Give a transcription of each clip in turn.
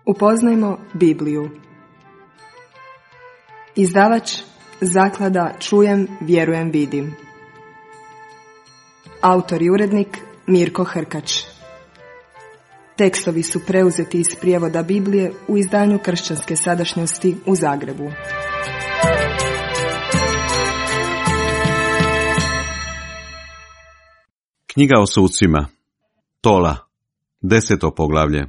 Upoznajmo Bibliju. Izdavač Zaklada Čujem, vjerujem, vidim. Autor i urednik Mirko Hrkač. Tekstovi su preuzeti iz prijevoda Biblije u izdanju Kršćanske sadašnjosti u Zagrebu. Knjiga o sucima. Tola. 10. poglavlje.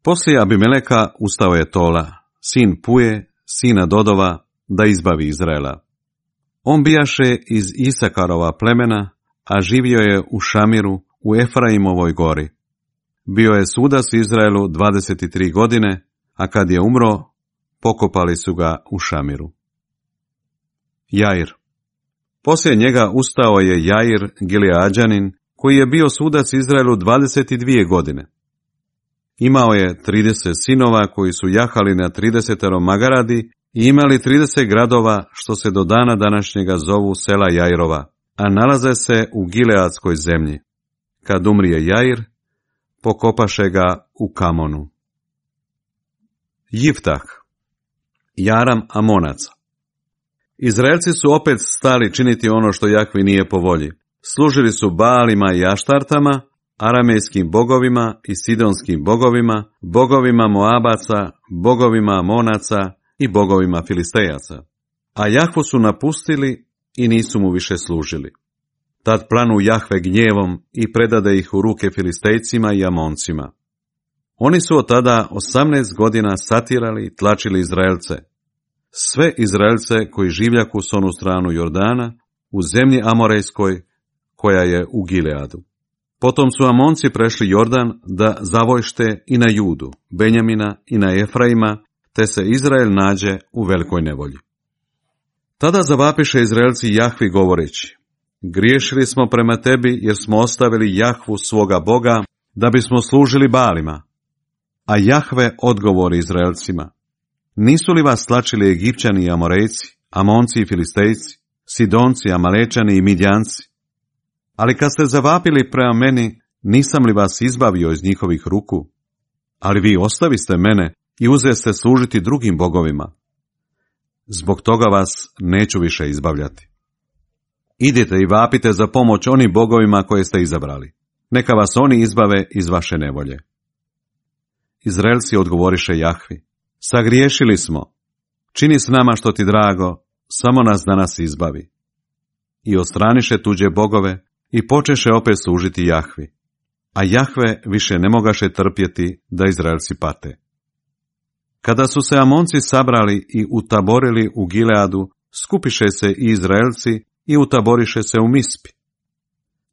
Poslije Abimeleka ustao je Tola, sin Puje, sina Dodova, da izbavi Izraela. On bijaše iz Isakarova plemena, a živio je u Šamiru, u Efraimovoj gori. Bio je sudac Izraelu 23 godine, a kad je umro, pokopali su ga u Šamiru. Jair. Poslije njega ustao je Jair, Gileadjanin, koji je bio sudac Izraelu 22 godine. Imao je 30 sinova koji su jahali na 30 magaradi i imali 30 gradova što se do dana današnjega zovu sela Jairova, a nalaze se u Gileadskoj zemlji. Kad umrije Jair, pokopaše ga u Kamonu. Jiftah. Jaram Amonaca. Izraelci su opet stali činiti ono što Jahvi nije po volji. Služili su Baalima i Aštartama, aramejskim bogovima i sidonskim bogovima, bogovima Moabaca, bogovima Amonaca i bogovima Filistejaca. A Jahvu su napustili i nisu mu više služili. Tad planu Jahve gnjevom i predade ih u ruke Filistejcima i Amoncima. Oni su od tada 18 godina satirali i tlačili Izraelce. Sve Izraelce koji življaku s onu stranu Jordana, u zemlji Amorejskoj, koja je u Gileadu. Potom su Amonci prešli Jordan da zavojšte i na Judu, Benjamina i na Efraima, te se Izrael nađe u velikoj nevolji. Tada zavapiše Izraelci Jahvi govoreći: griješili smo prema tebi jer smo ostavili Jahvu svoga Boga da bismo služili Baalima. A Jahve odgovori Izraelcima: nisu li vas tlačili Egipćani i Amorejci, Amonci i Filistejci, Sidonci, Amalečani i Midjanci? Ali kad ste zavapili prema meni, nisam li vas izbavio iz njihovih ruku? Ali vi ostaviste mene i uzeste služiti drugim bogovima. Zbog toga vas neću više izbavljati. Idite i vapite za pomoć onim bogovima koje ste izabrali. Neka vas oni izbave iz vaše nevolje. Izraelci odgovoriše Jahvi: sagriješili smo. Čini s nama što ti drago, samo nas danas izbavi. I odstraniše tuđe bogove i počeše opet služiti Jahvi. A Jahve više ne mogaše trpjeti da Izraelci pate. Kada su se Amonci sabrali i utaborili u Gileadu, skupiše se i Izraelci i utaboriše se u Mispi.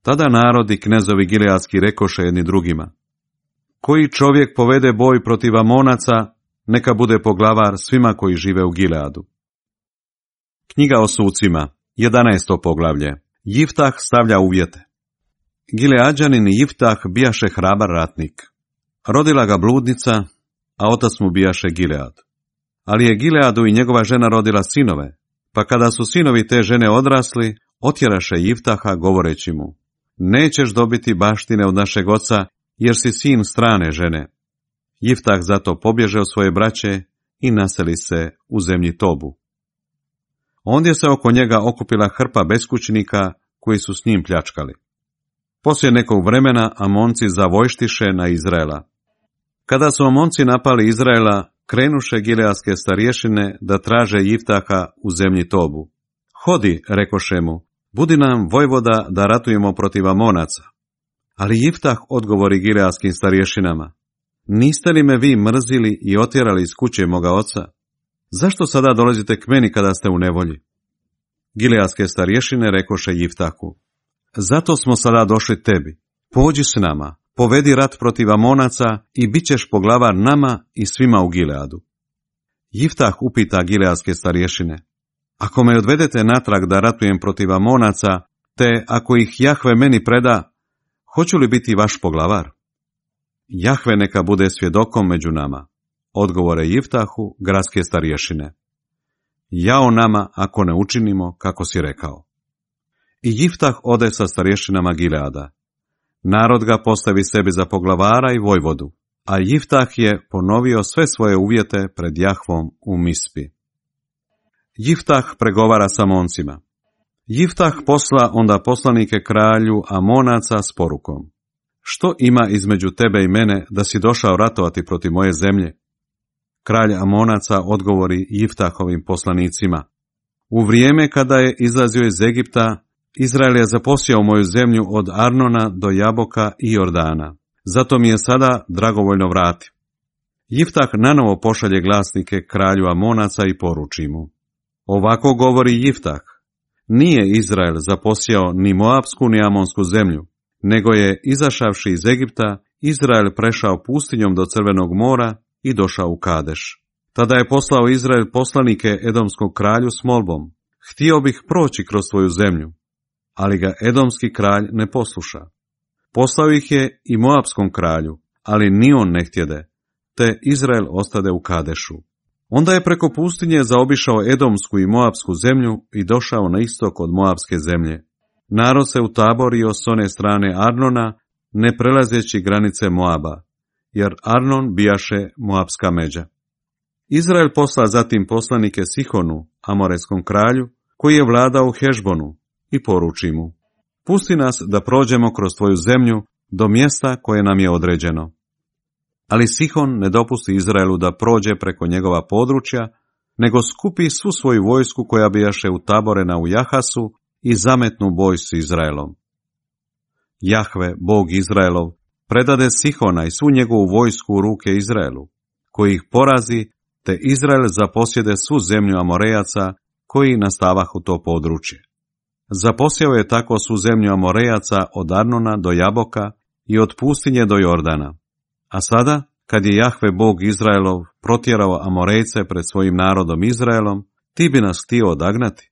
Tada narod i knezovi gileadski rekoše jedni drugima: koji čovjek povede boj protiv Amonaca, neka bude poglavar svima koji žive u Gileadu. Knjiga o sucima, 11. poglavlje. Jiftah stavlja uvjete. Gileadjanin Jiftah bijaše hrabar ratnik. Rodila ga bludnica, a otac mu bijaše Gilead. Ali je Gileadu i njegova žena rodila sinove, pa kada su sinovi te žene odrasli, otjeraše Jiftaha govoreći mu: nećeš dobiti baštine od našeg oca, jer si sin strane žene. Jiftah zato pobježe od svoje braće i naseli se u zemlji Tobu. Ondje se oko njega okupila hrpa beskućnika koji su s njim pljačkali. Poslije nekog vremena Amonci zavojštiše na Izraela. Kada su Amonci napali Izraela, krenuše gileadske starješine da traže Jiftaha u zemlji Tobu. Hodi, rekoše mu, budi nam vojvoda da ratujemo protiv Amonaca. Ali Jiftah odgovori gileadskim starješinama: niste li me vi mrzili i otjerali iz kuće moga oca? Zašto sada dolazite k meni kada ste u nevolji? Gileadske starješine rekoše Jiftahu: zato smo sada došli tebi. Pođi s nama, povedi rat protiv Amonaca i bit ćeš poglavar nama i svima u Gileadu. Jiftah upita gileadske starješine: ako me odvedete natrag da ratujem protiv Amonaca, te ako ih Jahve meni preda, hoću li biti vaš poglavar? Jahve neka bude svjedokom među nama, odgovore Jiftahu gradske starješine. Jao nama ako ne učinimo kako si rekao. I Jiftah ode sa starješinama Gileada. Narod ga postavi sebi za poglavara i vojvodu, a Jiftah je ponovio sve svoje uvjete pred Jahvom u Mispi. Jiftah pregovara sa Amoncima. Jiftah posla onda poslanike kralju Amonaca s porukom: što ima između tebe i mene da si došao ratovati protiv moje zemlje? Kralj Amonaca odgovori Jiftahovim poslanicima: u vrijeme kada je izlazio iz Egipta, Izrael je zaposjeo moju zemlju od Arnona do Jaboka i Jordana. Zato mi je sada dragovoljno vrati. Jiftah nanovo pošalje glasnike kralju Amonaca i poruči mu: ovako govori Jiftah: nije Izrael zaposjeo ni Moabsku ni Amonsku zemlju, nego je, izašavši iz Egipta, Izrael prešao pustinjom do Crvenog mora i došao u Kadeš. Tada je poslao Izrael poslanike Edomskog kralju s molbom: htio bih proći kroz tvoju zemlju, ali ga Edomski kralj ne posluša. Poslao ih je i Moabskom kralju, ali ni on ne htjede, te Izrael ostade u Kadešu. Onda je preko pustinje zaobišao Edomsku i Moabsku zemlju i došao na istok od Moabske zemlje. Narod se utaborio s one strane Arnona, ne prelazeći granice Moaba, jer Arnon bijaše Moabska međa. Izrael posla zatim poslanike Sihonu, Amoreskom kralju, koji je vladao u Hešbonu, i poruči mu: pusti nas da prođemo kroz tvoju zemlju do mjesta koje nam je određeno. Ali Sihon ne dopusti Izraelu da prođe preko njegova područja, nego skupi svu svoju vojsku koja bijaše utaborena u Jahasu i zametnu boj s Izraelom. Jahve, Bog Izraelov, predade Sihona i svu njegovu vojsku u ruke Izraelu, koji ih porazi, te Izrael zaposjede svu zemlju Amorejaca koji nastavahu to područje. Zaposjeo je tako svu zemlju Amorejaca od Arnona do Jaboka i od pustinje do Jordana. A sada, kad je Jahve Bog Izraelov protjerao Amorejce pred svojim narodom Izraelom, ti bi nas htio odagnati?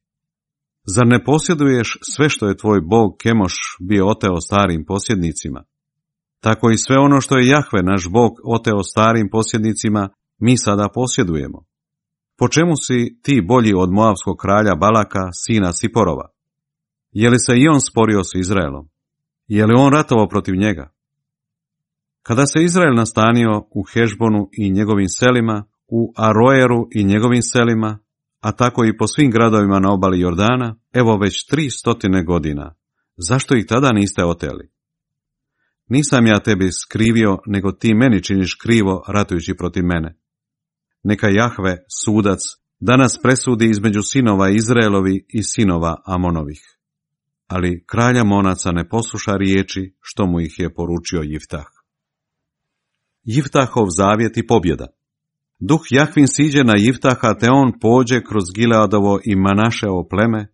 Zar ne posjeduješ sve što je tvoj Bog Kemoš bio oteo starim posjednicima? Tako i sve ono što je Jahve naš Bog oteo starim posjednicima, mi sada posjedujemo. Po čemu si ti bolji od Moabskog kralja Balaka, sina Siporova? Je li se i on sporio s Izraelom? Je li on ratovao protiv njega? Kada se Izrael nastanio u Hešbonu i njegovim selima, u Aroeru i njegovim selima, a tako i po svim gradovima na obali Jordana, evo već 300 godina, zašto ih tada niste oteli? Nisam ja tebi skrivio, nego ti meni činiš krivo ratujući protiv mene. Neka Jahve, sudac, danas presudi između sinova Izraelovi i sinova Amonovih. Ali kralj Amonaca ne posluša riječi što mu ih je poručio Jiftah. Jiftahov zavjet i pobjeda. Duh Jahvin siđe na Jiftaha, te on pođe kroz Gileadovo i Manaševo pleme,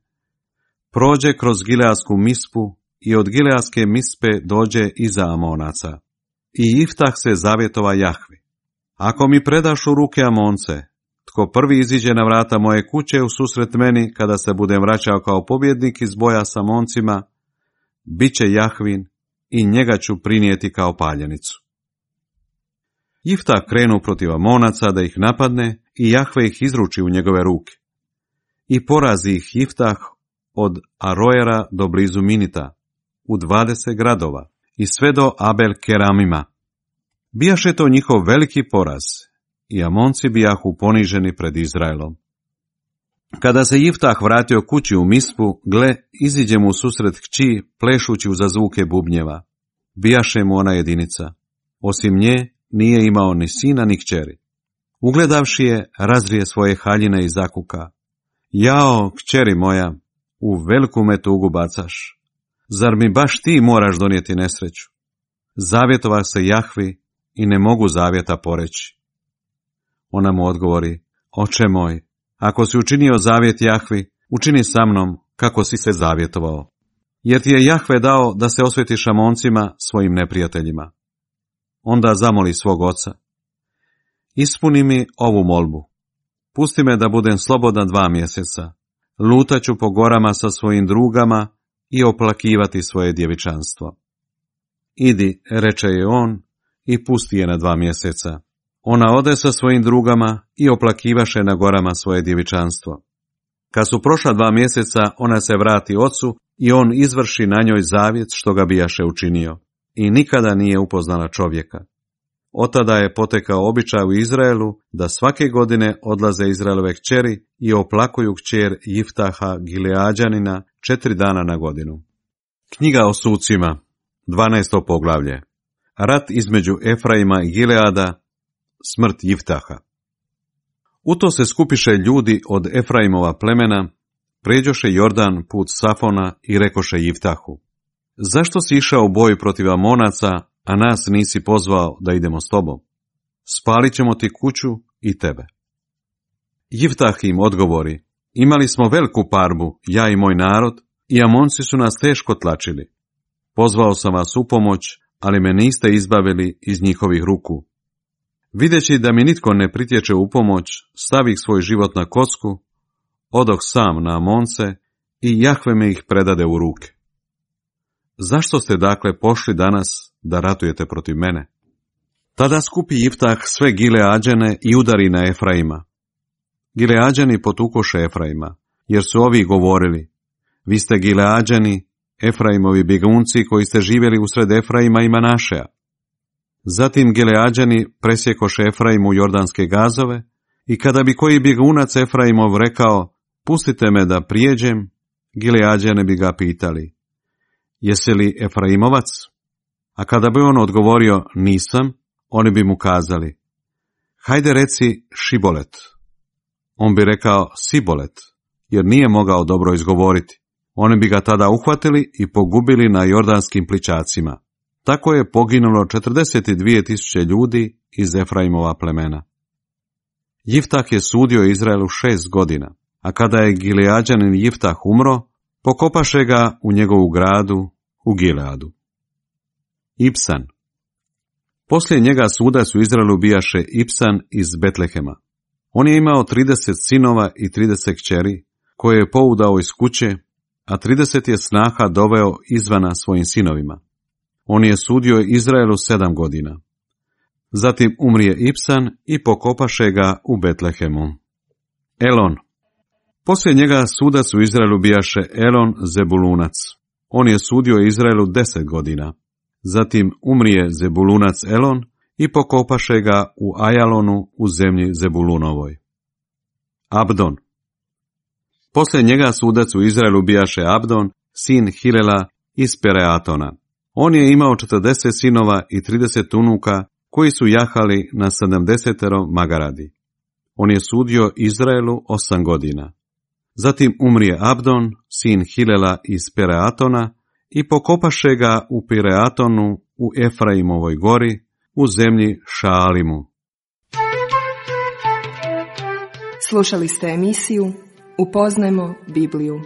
prođe kroz Gileadsku Mispu i od Gileadske Mispe dođe iza Amonaca. I Jiftah se zavjetova Jahvi: ako mi predaš u ruke Amonce, tko prvi iziđe na vrata moje kuće u susret meni kada se budem vraćao kao pobjednik iz boja s Amoncima, bit će Jahvin i njega ću prinijeti kao paljenicu. Jiftah krenu protiv Amonaca da ih napadne i Jahve ih izruči u njegove ruke. I porazi ih Jiftah od Aroera do blizu Minita, u 20 gradova i sve do Abel Keramima. Bijaše to njihov veliki poraz i Amonci bijahu poniženi pred Izraelom. Kada se Jiftah vratio kući u Mispu, gle, iziđe mu u susret kći, plešući uza zvuke bubnjeva. Bijaše mu ona jedinica. Osim nje, nije imao ni sina ni kćeri. Ugledavši je, razrije svoje haljine i zakuka: jao, kćeri moja, u veliku me tugu bacaš. Zar mi baš ti moraš donijeti nesreću? Zavjetova se Jahvi i ne mogu zavjeta poreći. Ona mu odgovori: oče moj, ako si učinio zavjet Jahvi, učini sa mnom kako si se zavjetovao. Jer ti je Jahve dao da se osvetiš Amoncima, svojim neprijateljima. Onda zamoli svog oca: ispuni mi ovu molbu. Pusti me da budem slobodan 2 mjeseca. Lutaću po gorama sa svojim drugama i oplakivati svoje djevičanstvo. Idi, reče je on, i pusti je na 2 mjeseca. Ona ode sa svojim drugama i oplakivaše na gorama svoje djevičanstvo. Kad su prošla 2 mjeseca, ona se vrati ocu i on izvrši na njoj zavjet što ga bijaše učinio. I nikada nije upoznala čovjeka. Otada je potekao običaj u Izraelu da svake godine odlaze Izraelove kćeri i oplakuju kćer Jiftaha Gileađanina 4 dana na godinu. Knjiga o sucima, 12. poglavlje. Rat između Efraima i Gileada, smrt Jiftaha. U to se skupiše ljudi od Efraimova plemena, pređoše Jordan put Safona i rekoše Jiftahu: zašto si išao u boj protiv Amonaca, a nas nisi pozvao da idemo s tobom? Spalit ćemo ti kuću i tebe. Jiftah im odgovori: imali smo veliku parbu, ja i moj narod, i Amonci su nas teško tlačili. Pozvao sam vas u pomoć, ali me niste izbavili iz njihovih ruku. Videći da mi nitko ne pritječe u pomoć, stavih svoj život na kocku, odoh sam na Amonce i Jahve me ih predade u ruke. Zašto ste dakle pošli danas da ratujete protiv mene? Tada skupi Jiftah sve Gileađane i udari na Efraima. Gileađani potukoše Efraima, jer su ovi govorili: vi ste Gileađani, Efraimovi bjegunci koji ste živjeli usred Efraima i Manašeja. Zatim Gileađani presjekoše Efraimu jordanske gazove, i kada bi koji bjegunac Efraimov rekao: pustite me da prijeđem, Gileađane bi ga pitali: jesi li Efraimovac? A kada bi on odgovorio: nisam, oni bi mu kazali: hajde reci Šibolet. On bi rekao Sibolet, jer nije mogao dobro izgovoriti. Oni bi ga tada uhvatili i pogubili na jordanskim plićacima. Tako je poginulo 42.000 ljudi iz Efraimova plemena. Jiftah je sudio Izraelu 6 godina, a kada je Gileađanin Jiftah umro, pokopaše ga u njegovu gradu u Gileadu. Ibsan. Poslije njega sudac u Izraelu bijaše Ibsan iz Betlehema. On je imao 30 sinova i 30 kćeri, koje je poudao iz kuće, a 30 je snaha doveo izvana svojim sinovima. On je sudio Izraelu 7 godina. Zatim umrije Ibsan i pokopaše ga u Betlehemu. Elon. Poslije njega sudac u Izraelu bijaše Elon Zebulunac. On je sudio Izraelu 10 godina. Zatim umrije Zebulunac Elon i pokopaše ga u Ajalonu u zemlji Zebulunovoj. Abdon. Poslije njega sudac u Izraelu bijaše Abdon, sin Hilela iz Pereatona. On je imao 40 sinova i 30 unuka, koji su jahali na 70 magaradi. On je sudio Izraelu 8 godina. Zatim umrije Abdon, sin Hilela iz Pereatona, i pokopaše ga u Pereatonu u Efraimovoj gori, u zemlji Šaalimu. Slušali ste emisiju Upoznajmo Bibliju.